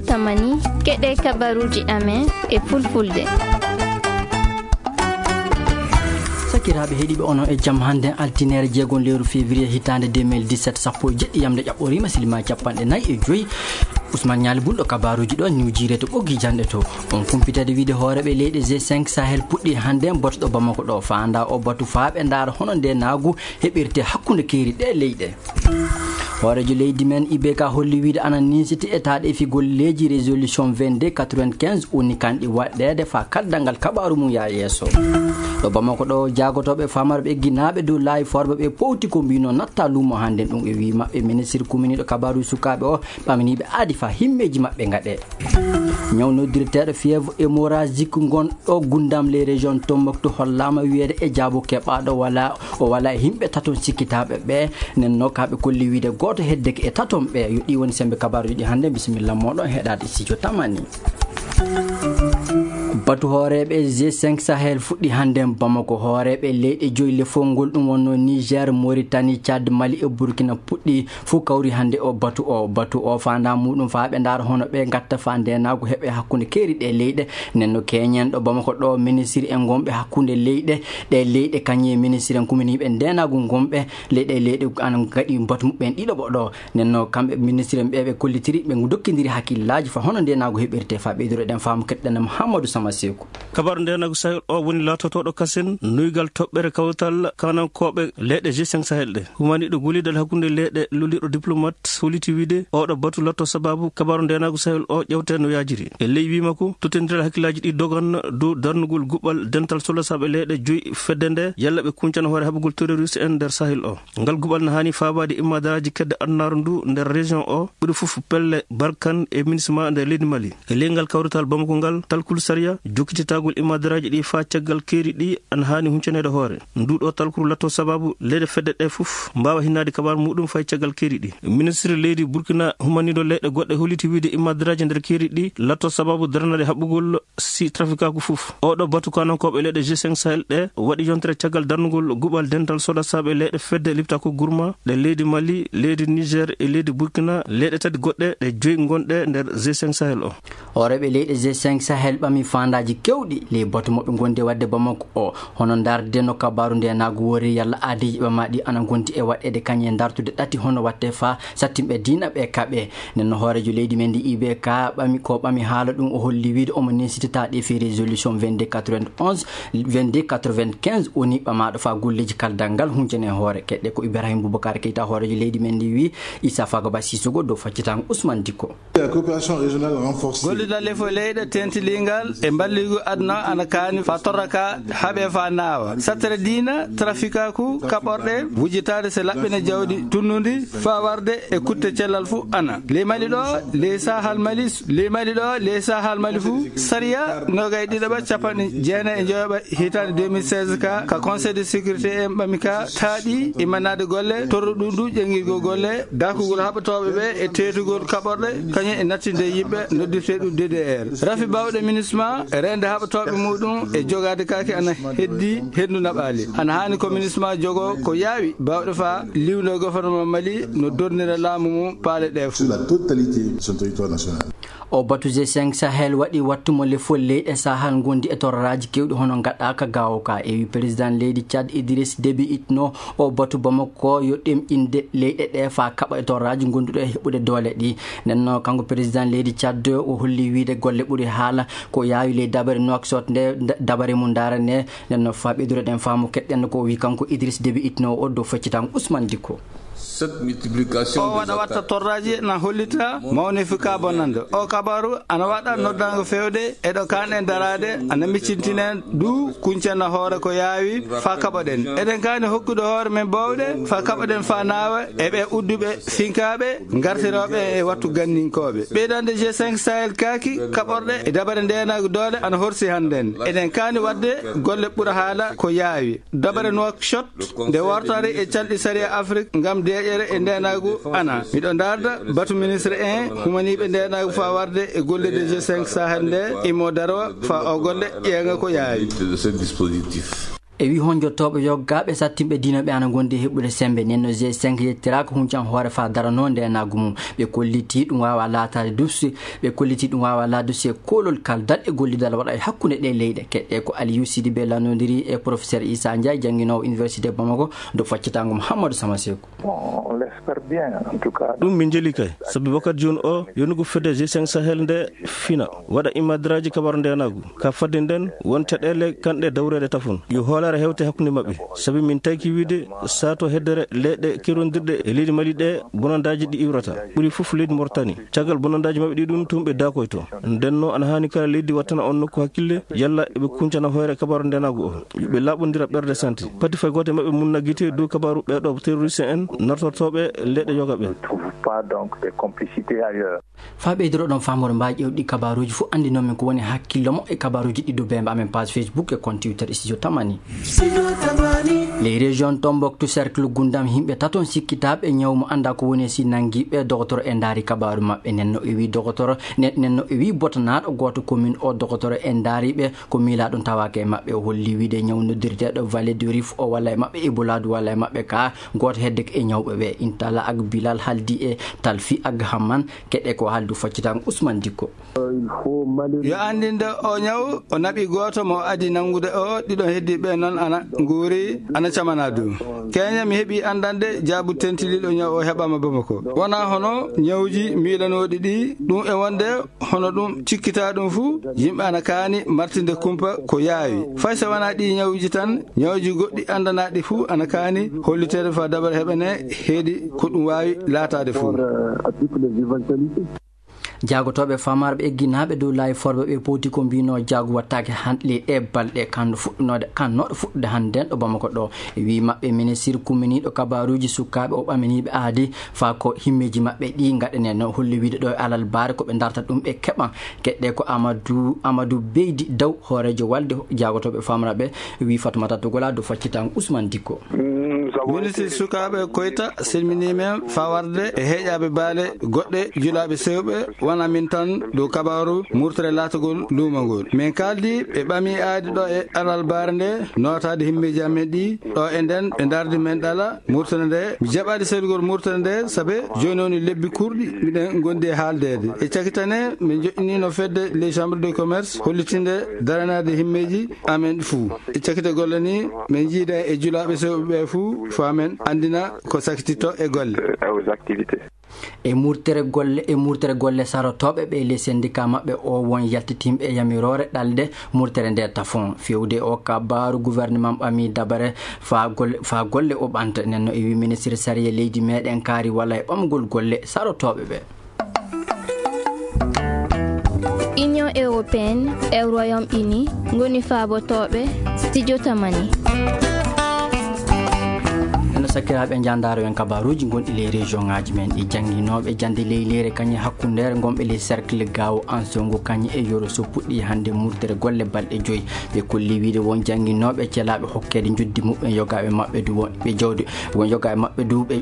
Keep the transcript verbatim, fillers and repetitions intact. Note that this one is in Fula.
Tamani, keɗe kabaruuji amen e fulfulde. Sakiraaɓe heɗiiɓe, onon e jam. Hannde altineere jeegom lewru février hitaande deux mille dix-sept, sappo e jeɗɗi yamde ƴaɓɓoriima, silima capanɗe nayi e joyi. Ousmane Ñaali Bulɗo kabaruuji ɗo, New Jire to ɓoggi janɗe to. On kumpitade wiide hooreeɓe leyɗe G cinq Sahel puɗɗi hannde batu ɗo Bamako ɗo. Faanda o batu faa ɓe ndaara hono nde naagu heɓirte hakkunde keeri ɗe leyɗe. Hooreejo leydi men I B K holli wiide ana niisiti e taaɗe fi golleeji résolution vingt-deux quatre-vingt-quinze woni kanɗi waɗɗeede faa kaddal ngal kabaaru mum yaa yeeso. Ɗo Bamako ɗo, jaagotooɓe famarɓe ginaaɓe dow laayi forɓe ɓe powti ko mbino natta luumo hannde ɗum e wii maɓɓe ministre kuminiiɗo kabaaru sukaaɓe o ɓamaniiɓe aadi faa himmeeji maɓɓe ngaɗe. Ñaw noddirteeɗo fièvre hémorragique ngon ɗo Gundam les régions Tombouctou hollaama wiyeede e jaabo keɓaaɗo wala, o wala e yimɓe taton sikkitaaɓe ɓe. Nden no kaaɓe kolli wiide gooto heddeke e taton ɓe. Yo ɗi woni sembe kabaaruuji ɗi hannde. Bisimilla mooɗon heɗaade studio Tamani. Batu hooreeɓe G cinq Sahel fuɗɗi hannde Bamako. Hooreeɓe leyɗe joyi lefol ngol ɗum wonno Niger, Mauritanie, Tchad, Mali e Burkina puɗɗi fuu kawri hannde o batu o. Batu o faanda muɗum faa ɓe ndaara hono ɓe ngatta faa ndeenaagu heɓe hakkunde keeri ɗe leyɗe. Nden no keñen ɗo Bamako ɗo, ministre en ngonɓe hakkunde leyɗe, ɗe leyɗe kañum e ministre en kuminiiɓe ndeenaagu ngonɓe leyɗe, leyɗe ana ngaɗi batu muɓɓen ɗiɗo ɓo ɗo. Nden no kamɓe ministre en ɓe ɓe kollitiri, ɓe dokkindiri hakkillaaji faa hono ndeenaagu heɓirte. Faa ɓeydude ɗen faamu keɗɗen Mouhamadou Sama Seku. Kabaru ndeenaagu Sahel o woni laatotooɗo kasen nuygal toɓɓere kawtal kanankooɓe leyɗe G cinq Sahel ɗe. Humaniiɗo gollidal hakkunde leyɗe luliiɗo diplomat holiti wiide oɗo batu latto sababu kabaru ndeenaagu Sahel o ƴewte no yaajiri. E ley wii makko, tottondiral hakkillaaji ɗi dogan dow darnugol guɓal dental solasaaɓe leyɗe joyi fedde nde yalla ɓe kuncana hoore haɓugol terroriste en nder Sahel o. Ngal guɓal na haani faabaade immaadaraaji kedde adunaaru ndu nder région o, ɓuri fof pelle Balkan e MINUSMA nder leydi Mali. E ley ngal kawrital Bamako ngal, talkuru sariya jokkititagol immaadaraaji ɗi faa caggal keeri ɗi ana haani huncaneede hoore. Nduu ɗoo talkuru latto sababu leyɗe fedde ɗe fof mbaawa hinnaade kabaaru muɗum fay caggal keeri ɗi. Ministre leydi Burkina humaniiɗo leyɗe goɗɗe holiti wiide immaadaraaji nder keeri ɗi latto sababu darnaade haɓugol si trafikaaku fof. Oɗo batu kanankooɓe leyɗe G cinq Sahel ɗe waɗi yontere caggal darnugol guɓal dental solasaaɓe leyɗe fedde liptako gurma ɗe leydi Mali, leydi Niger e leydi Burkina, leyɗe tati goɗɗe ɗe joyi ngonɗe nder G cinq Sahel o. Hooreeɓe leyɗe G cinq Sahel ɓami faandaaji keewɗi ley batu mo ɓe ngondi e waɗde Bamako o, hono ndaarde no kabaaru ndeenaagu wori, yalla aadiiji ɓamaaɗi ana ngondi e waɗeede kañum e ndaartude ɗati hono waɗte faa sattinɓe diina ɓe kaɓe. Nden no hooreejo leydi men ndi I B K ɓami ko ɓami haala ɗum, o holli wiide omo nesitita ɗi fi résolution vingt-deux quatre-vingt-onze, vingt-deux quatre-vingt-quinze woni ɓamaaɗo faa golleeji kaldal ngal huncane hoore. Keɗɗe ko Ibrahim Boubacar Keita, hooreejo leydi men ndi wii Issa Fagoba Sissoko dow faccitango Ousmane Dicko. La coopération régionale renforcée. Gollidal lefo leyɗe tentilingal e mballigu aduna ana kaani faa torra ka haɓe faa naawa. Sattere diina, trafikaaku, kaɓorɗe, wujitaade se laɓɓine jawdi tunnundi faa warde e kutte cellal fu ana. Ley Mali ɗo, ley Sahal Mali, ley Mali ɗo, ley Sahal Mali fu, sariya nogay ɗiɗaɓa capanɗe jeenayi e njoyoɓa hitaande deux mille seize ka, ka Conseil de sécurité en ɓami ka, taaɗi immanaade golle, torru ɗum du ƴeŋngirgol golle, dakugol haɓatooɓe ɓe e teetugol kaɓorɗe, kañum e nattinde yimɓe, noddirtee ɗum D D R. Rafi baawɗe MINUSMA, reende haɓatooɓe muɗum e jogaade kaake ana heddi henndu naɓaali. Ana haani ko MINUSMA jogo ko yaawi baawɗe faa liwndo gouvernement Mali no dornira laamu mum paale ɗe fof. Sur la totalité de son territoire national. O batu G cinq Sahel waɗi wattu mo lefol leyɗe Sahel ngondi e torraaji keewɗi hono ngaɗaaka gaawo ka. E wi président leydi Tchad Idriss Déby Itno, o batu Bamako yo ɗemɗinde leyɗe ɗe faa kaɓa e torraaji gonduɗo e heɓude doole ɗi. Nden no kanko président leydi Tchad o holli wiide golle ɓuri haala ko yaawi ley dabare Nouakchott nde, da-, dabare mum ndaara nde. Nden no faa ɓeydude ɗen faamu keɗɗen ko o wi kanko Idriss Déby Itno o dow feccitango Ousmane Dicko. Cette multiplication o des waɗa watta attaques torraaji na hollita mawnifi ka bonannde. O kabaru ana waɗa noddaango feewde e ɗo kaanɗen daraade, ana miccintinen du kuncana hoore ko yaawi faa kaɓoɗen. Eɗen kaani hokkude hoore men bawɗe faa kaɓoɗen faa naawa e ɓe udduɓe finkaaɓe ngartirooɓe e wattu ganninkooɓe. Ɓeydande G cinq Sahel kaaki kaɓorɗe e dabare ndeenaagu doole ana horsi hannden. Eɗen kaani waɗde golle ɓura haala ko yaawi. Dabare Nouakchott nde wartaade e calɗi sariya Afrik ngam deeƴere e ndeenaagu ana. Miɗo ndaarda batu ministre en humaniiɓe ndeenaagu faa warde e golle de G cinq Sahel nde imo daro faa o golle ƴeeŋa ko yaawi. De ce dispositif. E wi honjotooɓe yoggaaɓe sattinɓe diina ɓe ana ngondi e heɓude sembe. Nden no G cinq yettiraaka huncan hoore faa daranoo ndeenaagu mum. Ɓe kolliti ɗum waawa laataade duse, ɓe kolliti ɗum waawa laataade duse e koolol kaldal e gollidal waɗa e hakkunde ɗee leyɗe. Keɗɗe ko Aliou Sidibé lanndondiri e professeur Issa Ndiaye, jannginoowo Université Bamako, do faccitaango Mouhamadou Sama Sekou. Bon, on l'espère bien, en tout cas. Ɗum min njeli kay, sabi wakkati jooni o, yonugo fedde G cinq Sahel nde fina, waɗa immadraaji kabaru ndeenaagu. Ka fadde nden, won caɗeele kanɗe dawreede tafon. Yo hoolaare hewte hakkunde maɓɓe, sabi min tayki wiide saato heddere leyɗe kerondirɗe e leydi Mali ɗe bonandaaji ɗi iwrata. Ɓuri fof leydi Mauritanie. Caggal bonandaaji maɓɓe ɗi ɗum tun ɓe daakoyto. Nden no ana haani kala leydi wattana on nokku hakkille, yalla eɓe kuncana hoyre kabaru ndeenaagu o. Yo ɓe laaɓondira ɓerɗe santi. Pati fay gooto e maɓɓe munna gite dow kabaru ɓee ɗoo terroriste en nartortooɓe leyɗe yoga ɓe. Ne trouve pas donc des complicités ailleurs. Faa ɓeydoro ɗon faamore mbaa ƴewɗi kabaruuji fof anndinoo min ko woni hakkillo mo e kabaruuji ɗi dow beemba amen page Facebook e compte Twitter Studio Tamani. Les régions Tombouctou cercle Gundam, yimɓe taton sikkitaaɓe ñaw mo annda ko woni si nangi ɓe dogotoro e ndaari kabaru maɓɓe. Nden no e wi dogotoro, nden, nden no e wi botanaaɗo gooto commune o dogotoro e ndaari ɓe ko miilaa ɗum tawaaka e maɓɓe. O holli wiide ñaw noddirteeɗo Vallée du Rift o walla e maɓɓe Ebola du walla e maɓɓe ka gooto hedde ko e ñawɓe ɓe. Intala ak Bilal haldi e Talfi ak Hamman keɗe ko haldu faccitan Ousmane Dikko. Yo anndinde o ñaw, o naɓi gooto mo adi nanngude o, ɗiɗon heddi ɓe noon ana nguuri, ana camana du. Keña mi heɓi anndande jaabu tentiliɗo ñaw o heɓama Bamako. Wona hono ñawji miilanooɗi ɗi, ɗum e wonde hono ɗum cikkita ɗum fuu, yimɓe ana kaani martinde kumpa ko yaawi. Fay so wona ɗi ñawji tan, ñawji goɗɗi anndanaaɗi fuu ana kaani holliteede faa dabare heɓene heedi ko ɗum waawi laataade fuu. Jaagotooɓe famarɓe egginaaɓe dow laayi forɓe ɓe powti ko mbino jaagu wattaake han ley ɗe balɗe kanno fuɗɗunoode, kannoɗo fuɗɗude hannde ɗo Bamako ɗo. E wii maɓɓe ministir kumminiiɗo kabaruuji sukaaɓe o ɓaminiiɓe aadi faa ko himmeeji maɓɓe ɗi ngaɗanee no holli wiide ɗo e alal baare ko ɓe darta ɗum ɓe keɓan. Keɗɗe ko Amadou, Amadou Beydi Daw, hooreejo walde jaagotooɓe famarɓe, wii Fatoumata Togola dow faccitan Ousmane Dikko. Ministir sukaaɓe Koyta selminii men fawarde e heeƴaaɓe baale goɗɗe julaaɓe sewɓe wona min tan dow kabaaru murtere laatagol luuma ngol. Min kaaldi ɓe ɓamii aadi ɗo e alal baare nde nootaade himmeeji amen ɗi ɗo e nden ɓe ndardi men ɗala murtere nde. Mi jaɓaali seedugol murtere nde sabe jooni woni lebbi kurɗi miɗen ngondi e haaldeede. E cakitane min joɗɗiniino fedde les chambres de commerce hollitinde daranaade himmeeji amen fuu. E cakite golle ni, min njiida e julaaɓe sewɓe ɓe fuu, faa men anndina ko sakititto e golle. E murtere golle, e murtere golle sarotooɓe ɓe le syndicat maɓɓe o won yaltitimɓe e yamiroore ɗalde murtere nde tafon. Fewde o kabaaru gouvernement ɓami dabare faa golle, faa golle o ɓanta. Nden no e wi ministre sariya leydi meɗen kaari walla e ɓamgol golle sarotooɓe ɓe. Union européenne e Royaume-Uni ngoni faabotooɓe Studio Tamani. Eno sakkiraaɓe, njaandaaro en kabaaruuji gonɗi ley région ŋaaji men ɗi. Jannginooɓe jannde ley leyre kañe hakkundeere ngonɓe ley cercle Gaawo Ansongo kañe e Yoro so puɗɗi hannde murtere golle balɗe joyi. Ɓe kolli wiide won jannginooɓe celaaɓe hokkeede njoddi muɓɓen yogaaɓe maɓɓe du won ɓe jawdi, won yogaaɓe maɓɓe du ɓe